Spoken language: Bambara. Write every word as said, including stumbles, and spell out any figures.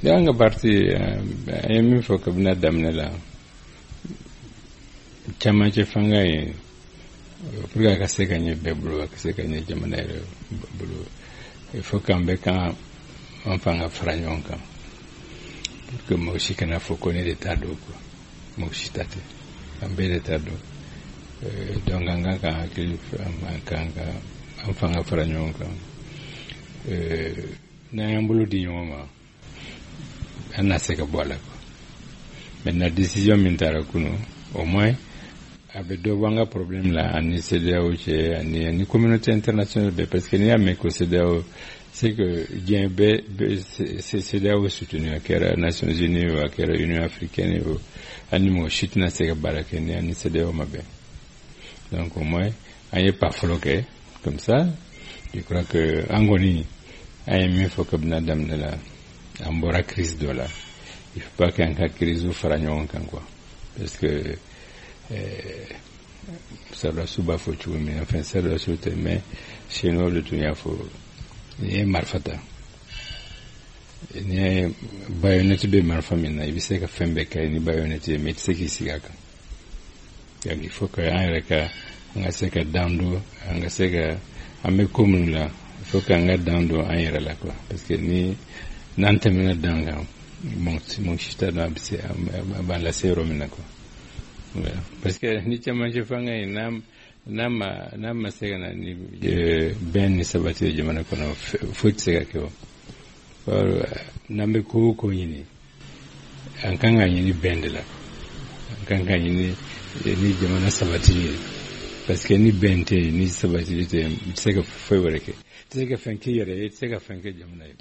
An ka parti, an ye min fɔ kabini a daminɛ la, camancɛ fanga ye, pour que a ka se ka ɲɛ bɛɛ bolo, a ka se ka ɲɛ jamana yɛrɛ bolo, il faut qu'an bɛɛ kan an fanga fara ɲɔgɔn kan pour que mɔgɔ si kana fɔ ko ne de ta don quoi. Mɔgɔ si ta tɛ, an bɛɛ de ta don. Donc an kan ka hakili, an kan ka an fanga fara ɲɔgɔn kan. N'an y'an bolo di ɲɔgɔn ma, an na se ka bɔ a la quoi. Maintenant, décision min taara kunun, au moins a bɛ dɔ bɔ an ka problème la ani CEDEAO cɛ, ani ani communauté internationale bɛɛ, parce que n'i y'a mɛn ko CEDEAO, c'est que diɲɛ bɛɛ CEDEAO soutenu, a kɛra Nations Unies o, a kɛra Union africaine o, ani mɔgɔ si tɛna se ka baara kɛ ni ani CEDEAO ma bɛn. Donc au moins an ye pas fɔlɔ kɛ comme ça. Je crois que an kɔni, an ye min fɔ kabini a daminɛ la, an bɔra crise dɔ la, il faut pas qu'an ka crise fara ɲɔgɔn kan quoi, parce que sɔrɔdasiw b'a fɔ cogo min, enfin sɔrɔdasiw tɛ, mais chinois de tun y'a fɔ, n'i ye marifa ta, n'i ye baïonnette bɛ marifa min na, i bɛ se ka fɛn bɛɛ kɛ ni baïonnette ye, mais i tɛ se k'i sigi a kan. Donc il faut que an yɛrɛ ka an ka se ka dan don, an ka se ka an bɛ ko minnu la, il faut que an ka dan don an yɛrɛ la quoi, parce que ni n'an tɛmɛna dan kan, mɔgɔ si t'a dɔn a bɛ se a b'an lase yɔrɔ min na quoi. Parce que ni camancɛ fanga ye, n'a n'a ma n'a ma se ka na ni bɛn ni sabati ye jamana kɔnɔ, foyi tɛ se ka kɛ. O n'an bɛ ko o ko ɲini, an kan ka ɲini bɛn de la, an kan ka ɲini ni jamana sabati ye, parce que ni bɛn tɛ yen, ni sabati tɛ yen, i tɛ se ka foyi wɛrɛ kɛ, i tɛ se ka fɛn k'i yɛrɛ ye, i tɛ se ka fɛn kɛ jamana ye.